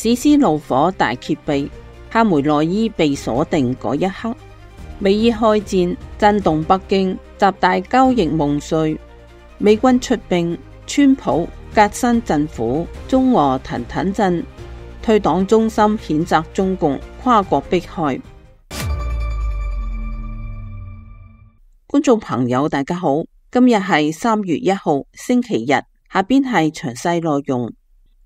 史詩怒火大揭秘，哈梅內伊被鎖定嗰一刻，美伊開戰震動北京，習大交易夢碎，美軍出兵，川普革新政府，中俄騰騰震，退黨中心譴責中共跨國迫害。觀眾朋友大家好，今日係3月1號星期日，下邊係詳細內容。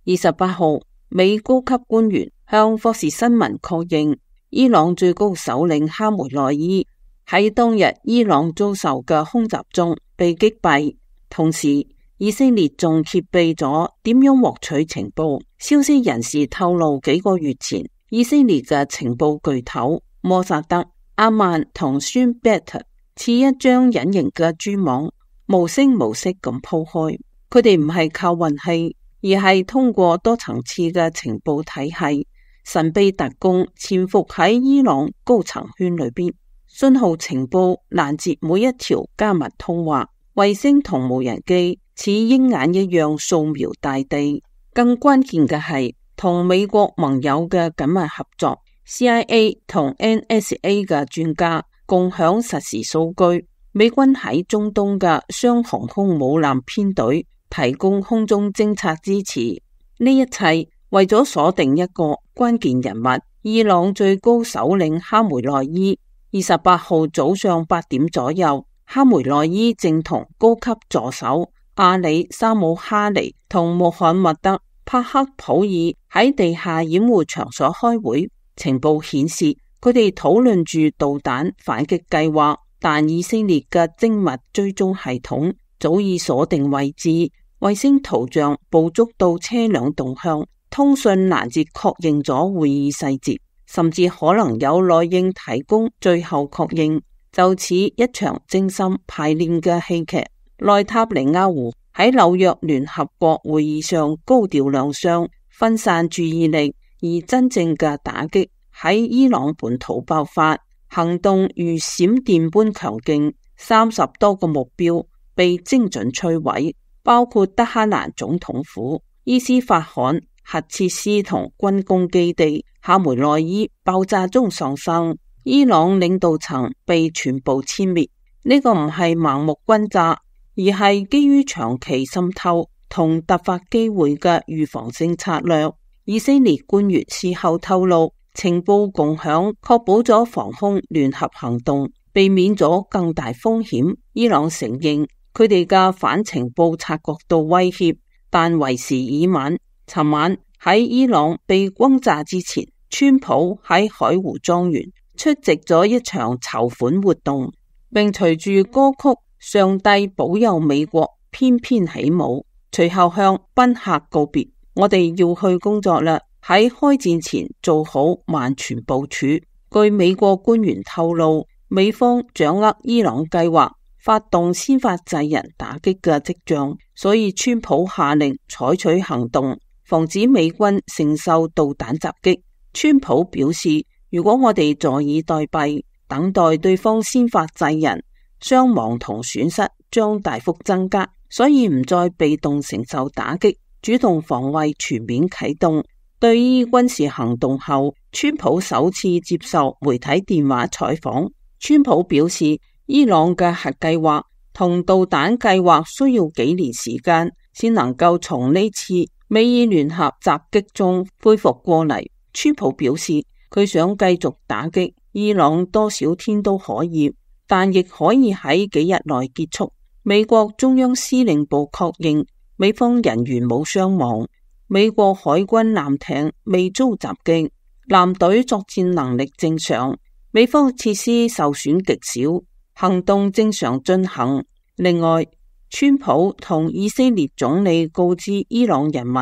28號，美高級官員向霍士新聞確認，伊朗最高首領哈梅內伊喺當日伊朗遭受嘅空襲中被擊斃，同時以色列仲揭秘咗點樣獲取情報。消息人士透露，幾個月前以色列嘅情報巨頭摩薩德、阿曼同孫貝特似一張隱形嘅蛛網，無聲無息咁鋪開。佢哋唔係靠運氣，而係通過多層次嘅情報體系，神秘特工潛伏喺伊朗高層圈裏邊，信號情報攔截每一條加密通話，衛星同無人機似鷹眼一樣掃描大地。更關鍵嘅係同美國盟友嘅緊密合作 ，CIA 同 NSA 嘅專家共享實時數據，美軍喺中東嘅雙航空母艦編隊提供空中偵察支持。呢一切為咗鎖定一個關鍵人物，伊朗最高首領哈梅內伊。28號早上8點左右，哈梅內伊正同高級助手阿里沙姆哈尼同穆罕默德帕克普爾喺地下掩護場所開會。情報顯示，佢哋討論住導彈反擊計劃，但以色列嘅精密追蹤系統早已鎖定位置，衛星圖像捕捉到車輛動向，通訊攔截確認咗會議細節，甚至可能有內應提供最後確認。就似一場精心排練嘅戲劇。內塔尼亞胡喺紐約聯合國會議上高調亮相，分散注意力，而真正嘅打擊喺伊朗本土爆發，行動如閃電般強勁，30多個目標被精準摧毀，包括德黑蘭總統府、伊斯法罕核設施同軍工基地。哈梅內伊爆炸中喪生，伊朗領導層被全部殲滅。呢個唔係盲目轟炸，而係基於長期滲透同突發機會嘅預防性策略。以色列官員事後透露，情報共享確保咗防空聯合行動，避免咗更大風險。伊朗承認佢哋嘅反情報察覺到威脅，但為時已晚。尋晚喺伊朗被轟炸之前，川普喺海湖莊園出席咗一場籌款活動，並隨住歌曲《上帝保佑美國》翩翩起舞，隨後向賓客告別。我哋要去工作啦，喺開戰前做好萬全部署。據美國官員透露，美方掌握伊朗計劃發動先發制人打擊嘅跡象，所以川普下令採取行動，防止美軍承受導彈襲擊。川普表示，如果我哋坐以待斃，等待對方先發制人，傷亡同損失將大幅增加，所以唔再被動承受打擊，主動防衛全面啟動。對於軍事行動後，川普首次接受媒體電話採訪。川普表示，伊朗嘅核計劃同導彈計劃需要幾年時間，先能夠從呢次美伊聯合襲擊中恢復過嚟。川普表示，佢想繼續打擊伊朗多少天都可以，但亦可以喺幾日內結束。美國中央司令部確認美方人員冇傷亡，美國海軍艦艇未遭襲擊，艦隊作戰能力正常，美方設施受損極少，行動正常進行。另外，川普同以色列總理告知伊朗人民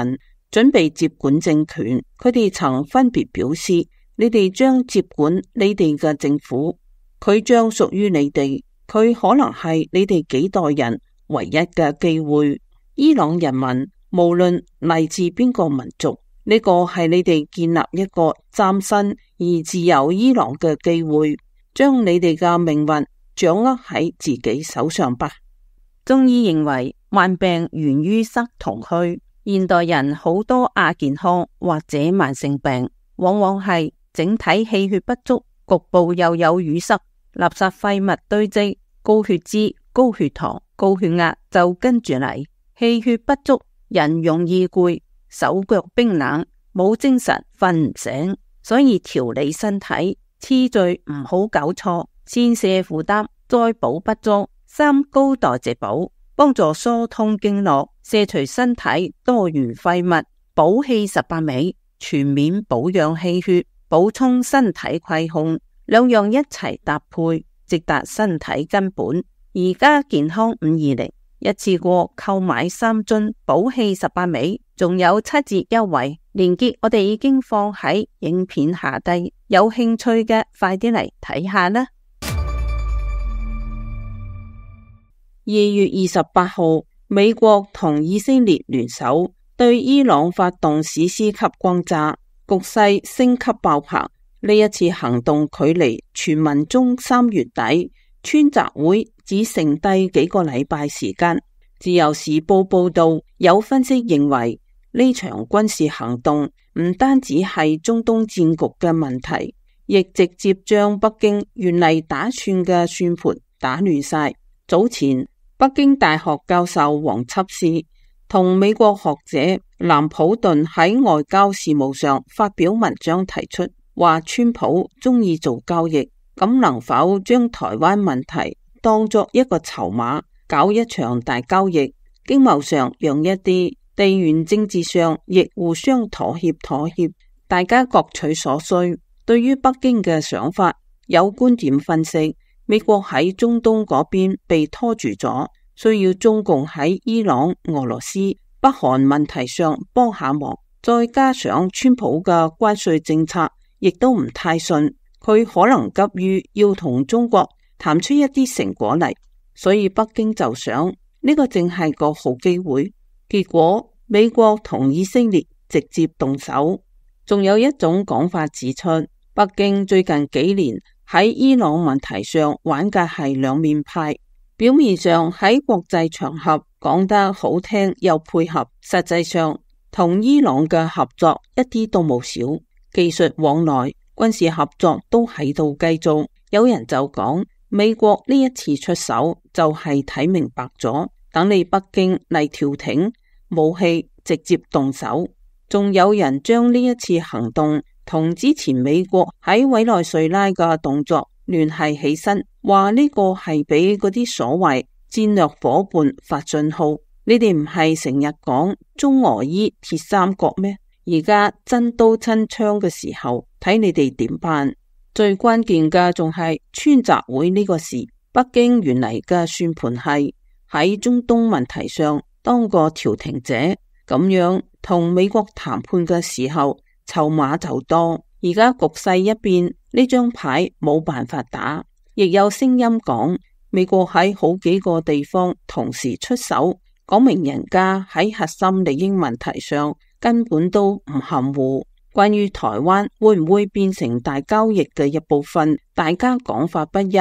準備接管政權，佢哋曾分別表示，你哋將接管你哋嘅政府，佢將屬於你哋，佢可能係你哋幾代人唯一嘅機會。伊朗人民無論嚟自邊個民族，呢個係你哋建立一個嶄新而自由伊朗嘅機會，將你哋嘅命運掌握喺自己手上吧。中醫認為，患病源於塞同虛，現代人好多亞健康或者慢性病，往往係整體氣血不足，局部又有淤塞，垃圾廢物堆積，高血脂、高血糖、高血壓就跟住嚟。氣血不足，人容易攰，手腳冰冷，冇精神，瞓唔醒。所以調理身體次序唔好搞錯，先瀉負擔，再補不足，三高代謝補，幫助疏通經絡，卸除身體多餘廢物，補氣18味，全面保養氣血，補充身體虧空，兩樣一齊搭配，直達身體根本。而家健康520一次過購買3樽補氣18味，仲有7折優惠，連結我哋已經放喺影片下低，有興趣嘅快啲嚟睇下啦。2月28號，美國同以色列聯手對伊朗發動史詩級轟炸，局勢升級爆棚。呢一次行動距離傳聞中3月底川習會只剩低幾個禮拜時間。自由時報報道，有分析認為呢場軍事行動唔單止係中東戰局嘅問題，亦直接將北京原嚟打算嘅算盤打亂晒。早前北京大學教授黃輯士同美國學者藍普頓喺外交事務上發表文章，提出話川普中意做交易，咁能否將台灣問題當作一個籌碼，搞一場大交易，經貿上讓一啲，地緣政治上亦互相妥協，大家各取所需。對於北京嘅想法，有觀點分析，美國喺中東嗰邊被拖住咗，需要中共喺伊朗、俄羅斯、北韓問題上幫下忙，再加上川普嘅關稅政策亦都唔太順，佢可能急於要同中國談出一啲成果嚟。所以北京就想呢個正係個好機會，結果美國同以色列直接動手。仲有一種講法指出，北京最近幾年喺伊朗問題上玩嘅係兩面派，表面上喺國際場合講得好聽又配合，實際上同伊朗嘅合作一啲都冇少，技術往來、軍事合作都喺度繼續。有人就講，美國呢一次出手就係睇明白咗，等你北京嚟調停，武器直接動手。仲有人將呢一次行動同之前美國喺委內瑞拉嘅動作聯繫起身，話呢個係俾嗰啲所謂戰略夥伴發信號，你哋唔係成日講中俄伊鐵三角咩？而家真刀真槍嘅時候，睇你哋點辦？最關鍵嘅仲係川習會呢個事，北京原嚟嘅算盤係喺中東問題上當個調停者，咁樣同美國談判嘅時候籌碼就多。而家局勢一變，呢張牌冇辦法打。亦有聲音講，美國喺好幾個地方同時出手，講明人家喺核心利益問題上根本都唔含糊。關於台灣會唔會變成大交易嘅一部分，大家講法不一。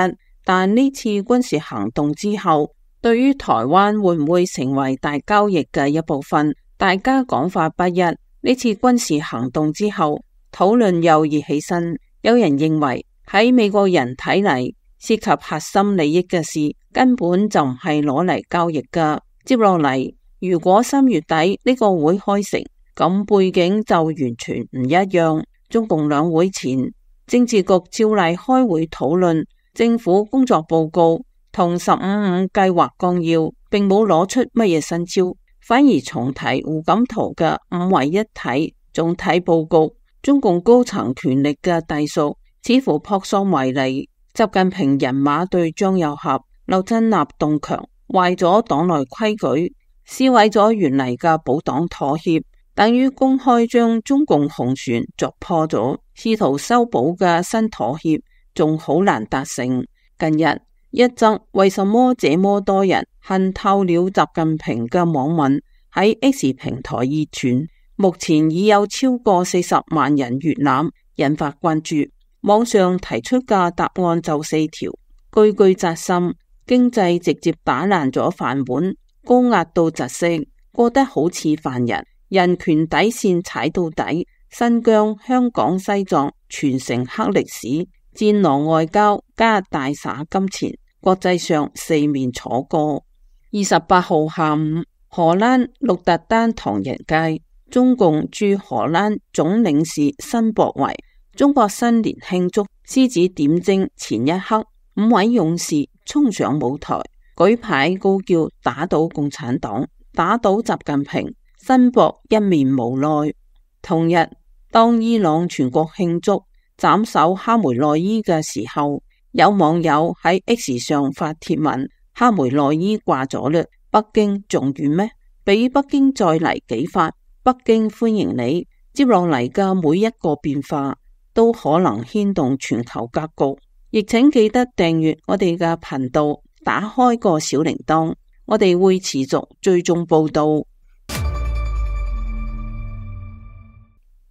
但呢次軍事行動之後，對於台灣會唔會成為大交易嘅一部分，大家講法不一。呢次軍事行動之後，討論又熱起身。有人認為喺美國人睇嚟，涉及核心利益嘅事根本就唔係攞嚟交易噶。接落嚟，如果3月底呢個會開成，咁背景就完全唔一樣。中共兩會前，政治局照例開會討論政府工作報告同15.5計劃綱要，並冇攞出乜嘢新招，反而重提胡錦濤嘅5位一體總體報告。中共高層權力嘅隸屬似乎撲朔迷離，習近平人馬對張又俠、劉振立動強，壞咗黨內規矩，撕毀咗原嚟嘅保黨妥協，等於公開將中共紅船鑿破咗，試圖修補嘅新妥協仲好難達成。近日一則為什麼這麼多人恨透了習近平嘅網文喺 X 平台熱傳，目前已有超過40萬人閱覽，引發關注。網上提出嘅答案就4條，句句扎心。經濟直接打爛咗飯碗，高壓到窒息，過得好似犯人。人權底線踩到底，新疆、香港、西藏全城黑歷史，戰狼外交加大灑金錢，國際上四面楚歌。28號下午，荷蘭鹿特丹唐人街，中共駐荷蘭總領事申博為中國新年慶祝獅子點睛前一刻，5位勇士衝上舞台，舉牌高叫打倒共產黨，打倒習近平。申博一面無奈。同日，當伊朗全國慶祝斬首哈梅內伊嘅時候，有網友喺 X 上發帖文：哈梅內伊掛咗嘞，北京仲遠咩？俾北京再嚟幾發，北京歡迎你。接落嚟嘅每一個變化都可能牽動全球格局，亦請記得訂閱我哋嘅頻道，打開個小鈴鐺，我哋會持續追蹤報道。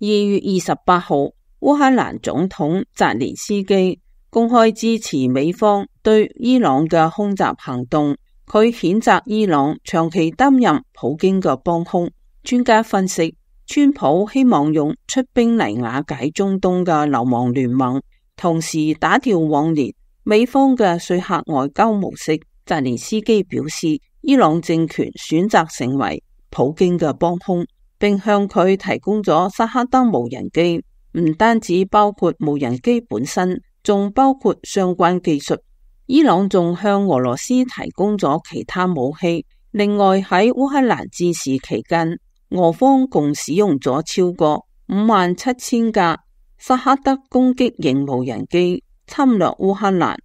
2月28號，烏克蘭總統澤連斯基公開支持美方對伊朗嘅空襲行動，佢譴責伊朗長期擔任普京嘅幫兇。專家分析，川普希望用出兵嚟瓦解中東嘅流亡聯盟，同時打掉往年美方嘅說客外交模式。澤連斯基表示，伊朗政權選擇成為普京嘅幫兇，並向佢提供咗薩克德無人機，唔單止包括無人機本身，仲包括相關技術。伊朗仲向俄羅斯提供咗其他武器。另外喺烏克蘭戰事期間，俄方共使用咗超過57000架薩克德攻擊型無人機侵略烏克蘭。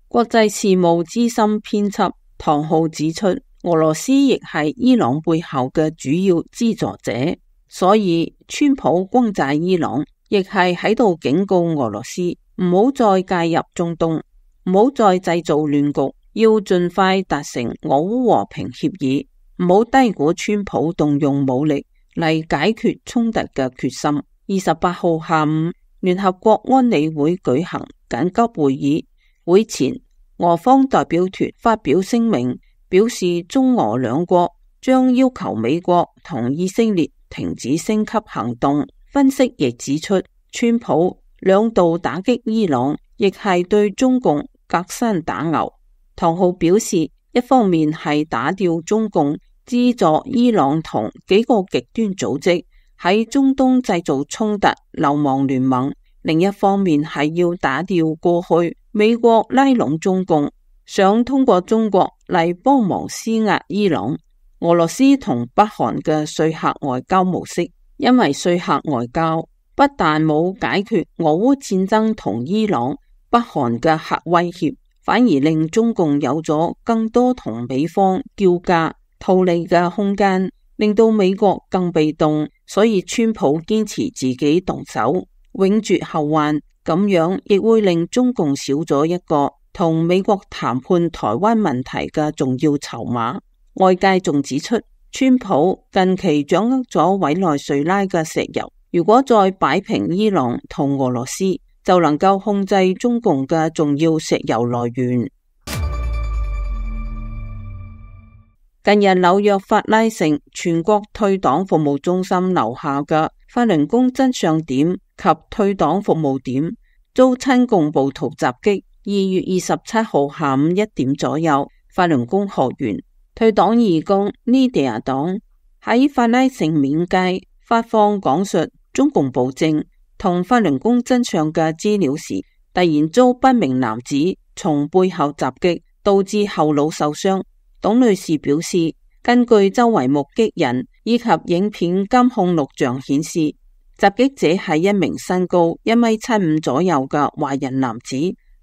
國際事務資深編輯唐浩指出，俄羅斯亦係伊朗背後嘅主要資助者，所以川普轟炸伊朗，亦係喺度警告俄羅斯唔好再介入中東，唔好再製造亂局，要盡快達成俄烏和平協議，唔好低估川普動用武力嚟解決衝突嘅決心。28號下午，聯合國安理會舉行緊急會議，會前俄方代表團發表聲明，表示中俄兩國將要求美國同以色列停止升級行動。分析亦指出，川普兩度打擊伊朗，亦係對中共隔山打牛。唐浩表示，一方面係打掉中共資助伊朗同幾個極端組織喺中東製造衝突流亡聯盟，另一方面係要打掉過去美國拉攏中共，想通過中國嚟幫忙施壓伊朗。俄羅斯同北韓嘅說客外交模式，因為說客外交不但冇解決俄烏戰爭同伊朗、北韓嘅核威脅，反而令中共有咗更多同美方叫價套利嘅空間，令到美國更被動。所以川普堅持自己動手，永絕後患，咁樣亦會令中共少咗一個同美國談判台灣問題嘅重要籌碼。外界仲指出，川普近期掌握咗委內瑞拉嘅石油，如果再擺平伊朗同俄羅斯，就能夠控制中共嘅重要石油來源。近日紐約法拉盛全國退黨服務中心樓下嘅法輪功真相點及退黨服務點遭親共暴徒襲擊。2月27號下午1點左右，法輪功學員退黨義工呢地亞黨喺法拉盛面街發放講述中共暴政同法輪功真相嘅資料時，突然遭不明男子從背後襲擊，導致後腦受傷。董女士表示，根據周圍目擊人以及影片監控錄像顯示，襲擊者係一名身高1.75米左右嘅華人男子。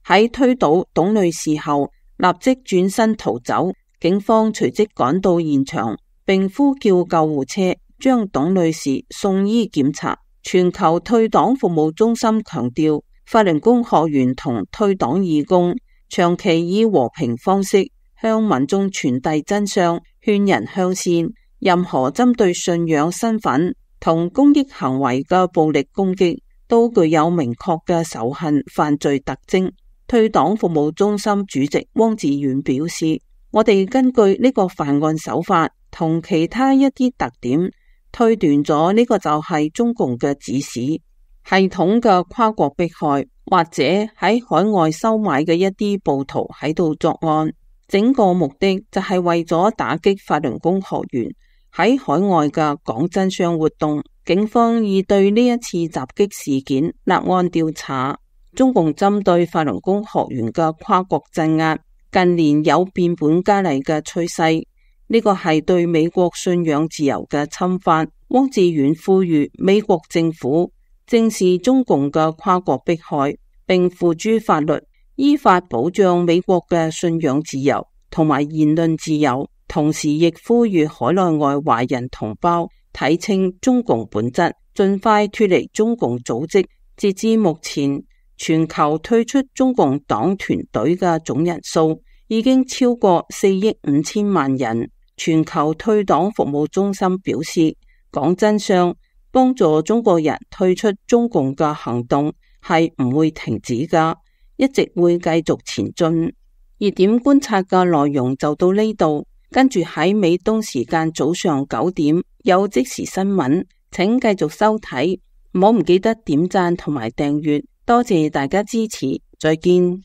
喺推倒董女士後，立即轉身逃走。警方隨即趕到現場，並呼叫救護車將董女士送醫檢查。全球退黨服務中心強調，法輪功學員同退黨義工長期以和平方式向民眾傳遞真相，勸人向善。任何針對信仰、身份同公益行為嘅暴力攻擊，都具有明確嘅仇恨犯罪特徵。退黨服務中心主席汪志遠表示，我哋根據呢個犯案手法同其他一啲特點，推斷咗呢個就係中共嘅指使，系統嘅跨國迫害，或者喺海外收買嘅一啲暴徒喺度作案，整個目的就係為咗打擊法輪功學員喺海外嘅講真相活動。警方已對呢一次襲擊事件立案調查。中共針對法輪功學員嘅跨國鎮壓，近年有變本加厲嘅趨勢，呢個係對美國信仰自由嘅侵犯。汪志遠呼籲美國政府正視中共嘅跨國迫害，並付諸法律，依法保障美國嘅信仰自由同埋言論自由。同時亦呼籲海內外華人同胞睇清中共本質，盡快脫離中共組織。截至目前，全球退出中共黨團隊嘅總人數已經超過4億5千萬人。全球退黨服務中心表示，講真相，幫助中國人退出中共嘅行動係唔會停止㗎，一直會繼續前進。熱點觀察嘅內容就到呢度，跟住喺美東時間早上9點有即時新聞，請繼續收睇，唔好唔記得點讚同埋訂閱，多謝大家支持，再見。